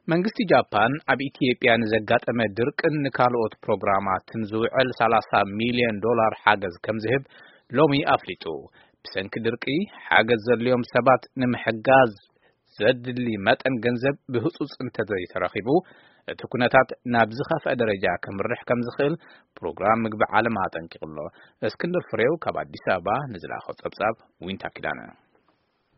መንግስቲ ጃፓን ኣብ ኢትዮጵያ ንዘጋጠመ ድርቅን ንካልኦት ፕሮግራማትን ዝውዕል ሰላሳ ሚልዮን ዶላር ሓገዝ ከም ዝህብ ሎሚ ኣፍሊጡ። ብሰንኪ ድርቂ ሓገዝ ዘድልዮም ሰባት ንምሕጋዝ ዘድሊ መጠን ገንዘብ ብህጹጽ እንተዘይተረኺቡ፣ እቲ ኩነታት ናብ ዝኸፍአ ደረጃ ከምርሕ ከም ዝኽእል ፕሮግራም ምግቢ ዓለም ኣጠንቂቑ ኣሎ። እስክንድር ፍሬው ካብ ኣዲስ ኣበባ ንዝለኣኾ ጸብጻብ ዊንታ ኪዳነ።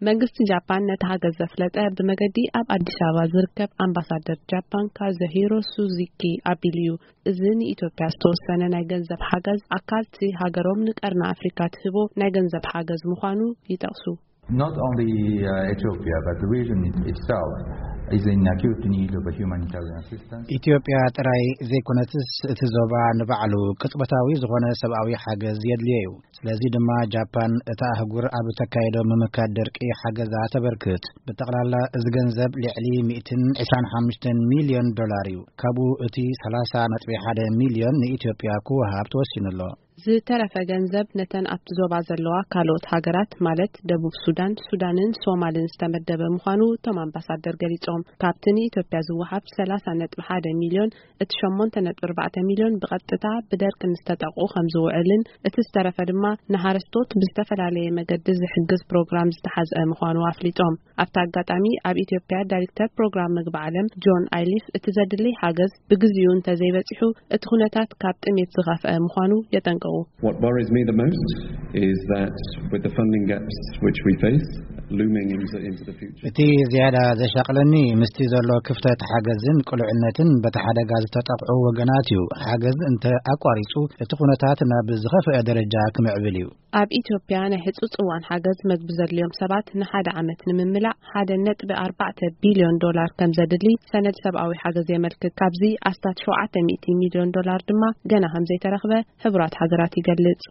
መንግስቲ ጃፓን ነቲ ሓገዝ ዘፍለጠ ብመገዲ ኣብ ኣዲስ ኣበባ ዝርከብ ኣምባሳደር ጃፓን ካዙሂሮ ሱዚኪ ኣቢሉ እዩ። እዚ ንኢትዮጵያ ዝተወሰነ ናይ ገንዘብ ሓገዝ ኣካልቲ ሃገሮም ንቀርኒ ኣፍሪካ ትህቦ ናይ ገንዘብ ሓገዝ ምዃኑ ይጠቕሱ። Not only uh, Ethiopia, but the region it- itself is in acute need of a humanitarian assistance. ኢትዮጵያ ጥራይ ዘይኮነትስ እቲ ዞባ ንባዕሉ ቅጽበታዊ ዝኾነ ሰብኣዊ ሓገዝ የድልዮ እዩ። ስለዚ ድማ ጃፓን እታ ኣህጉር ኣብ እተካየዶ ምምካት ደርቂ ሓገዛ ተበርክት። ብጠቕላላ እዚ ገንዘብ ልዕሊ ሚእትን ዕስራን ሓሙሽተን ሚልዮን ዶላር እዩ። ካብኡ እቲ ሰላሳ ነጥቢ ሓደ ሚልዮን ንኢትዮጵያ ክወሃብ ተወሲኑ ኣሎ። ዝተረፈ ገንዘብ ነተን ኣብቲ ዞባ ዘለዋ ካልኦት ሃገራት ማለት ደቡብ ሱዳን፣ ሱዳንን ሶማልን ዝተመደበ ምዃኑ እቶም ኣምባሳደር ገሊጾም። ካብቲ ንኢትዮጵያ ዝወሃብ ሰላሳ ነጥቢ ሓደ ሚልዮን እቲ ሸሞንተ ነጥቢ ኣርባዕተ ሚልዮን ብቐጥታ ብደርቂ ንዝተጠቕዑ ከም ዝውዕልን እቲ ዝተረፈ ድማ ንሓረስቶት ብዝተፈላለየ መገዲ ዝሕግዝ ፕሮግራም ዝተሓዝአ ምዃኑ ኣፍሊጦም። ኣብቲ ኣጋጣሚ ኣብ ኢትዮጵያ ዳይሬክተር ፕሮግራም ምግቢ ዓለም ጆን ኣይሊፍ እቲ ዘድሊ ሓገዝ ብግዚኡ እንተዘይበጺሑ እቲ ኩነታት ካብ ጥሜት ዝኸፍአ ምዃኑ የጠንቅቑ። What worries me the most is that with the funding gaps which we face looming into, into the future. እቲ ዝያዳ ዘሻቕለኒ ምስቲ ዘሎ ክፍተት ሓገዝን ቅሉዕነትን በቲ ሓደጋ ዝተጠቕዑ ወገናት እዩ። ሓገዝ እንተ ኣቋሪጹ እቲ ኩነታት ናብ ዝኸፍአ ደረጃ ክምዕብል እዩ። ኣብ ኢትዮጵያ ናይ ህጹጽ እዋን ሓገዝ መግቢ ዘድልዮም ሰባት ንሓደ ዓመት ንምምላእ ሓደ ነጥቢ ኣርባዕተ ቢልዮን ዶላር ከም ዘድሊ ሰነድ ሰብኣዊ ሓገዝ የመልክት። ካብዚ ኣስታት ሸውዓተ ሚእቲ ሚልዮን ዶላር ድማ ገና ከም ዘይተረኽበ ሕቡራት ሃገራት ይገልጽ።